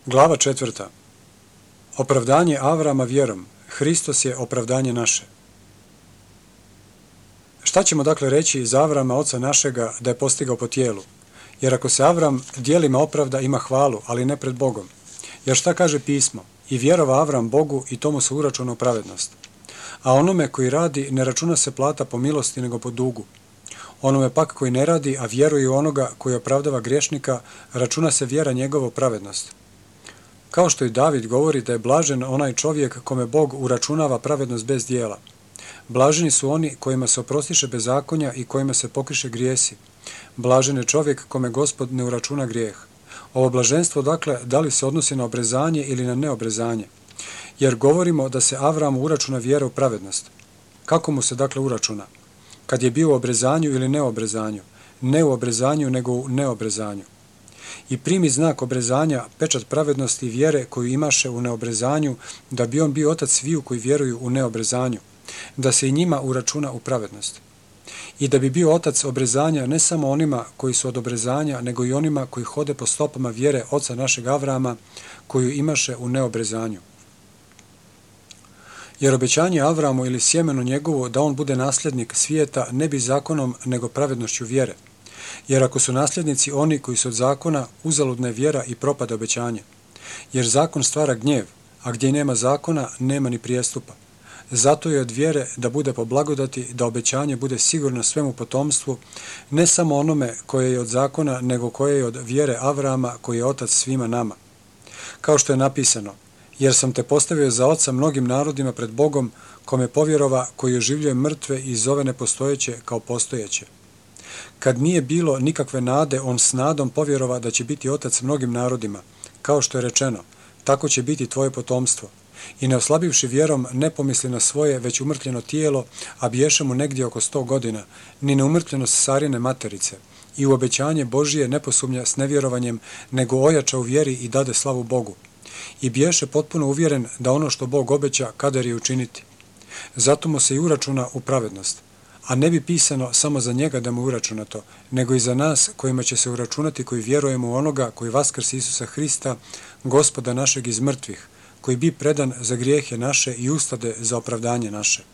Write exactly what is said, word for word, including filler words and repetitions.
Glava četvrta. Opravdanje Avrama vjerom. Hristos je opravdanje naše. Šta ćemo dakle reći iz Avrama, oca našega, da je postigao po tijelu? Jer ako se Avram djelima opravda, ima hvalu, ali ne pred Bogom. Jer šta kaže pismo? I vjerova Avram Bogu i tomu se uračuna pravednost. A onome koji radi ne računa se plata po milosti nego po dugu. Onome pak koji ne radi, a vjeruje u onoga koji opravdava griješnika, računa se vjera njegovo pravednost. Kao što i David govori da je blažen onaj čovjek kome Bog uračunava pravednost bez dijela. Blaženi su oni kojima se oprostiše bezakonja i kojima se pokriše grijesi. Blažen je čovjek kome Gospod ne uračuna grijeh. Ovo blaženstvo, dakle, da li se odnosi na obrezanje ili na neobrezanje? Jer govorimo da se Avramu uračuna vjera u pravednost. Kako mu se dakle uračuna? Kad je bio u obrezanju ili neobrezanju? Ne u obrezanju, nego u neobrezanju. I primi znak obrezanja, pečat pravednosti i vjere koju imaše u neobrezanju, da bi on bio otac sviju koji vjeruju u neobrezanju, da se i njima uračuna u pravednost. I da bi bio otac obrezanja ne samo onima koji su od obrezanja, nego i onima koji hode po stopama vjere oca našeg Avrama, koju imaše u neobrezanju. Jer obećanje Avramu ili sjemenu njegovu da on bude nasljednik svijeta ne bi zakonom nego pravednošću vjere. Jer ako su nasljednici oni koji su od zakona, uzaludna je vjera i propada obećanje. Jer zakon stvara gnjev, a gdje nema zakona, nema ni prijestupa. Zato je od vjere da bude po blagodati, da obećanje bude sigurno svemu potomstvu, ne samo onome koje je od zakona, nego koje je od vjere Avrama, koji je otac svima nama. Kao što je napisano, jer sam te postavio za oca mnogim narodima pred Bogom, kome povjerova, koji oživljuje mrtve i zove nepostojeće kao postojeće. Kad nije bilo nikakve nade, on s nadom povjerova da će biti otac mnogim narodima, kao što je rečeno, tako će biti tvoje potomstvo. I ne oslabivši vjerom, ne pomisli na svoje, već umrtljeno tijelo, a biješe mu negdje oko sto godina, ni na umrtljenost Sarine materice. I u obećanje Božije ne posumnja s nevjerovanjem, nego ojača u vjeri i dade slavu Bogu. I biješe potpuno uvjeren da ono što Bog obeća, kadar je učiniti. Zato mu se i uračuna u pravednost. A ne bi pisano samo za njega da mu uračuna to, nego i za nas kojima će se uračunati koji vjerujemo u onoga koji vaskrsi Isusa Hrista, Gospoda našeg iz mrtvih, koji bi predan za grijehe naše i ustade za opravdanje naše.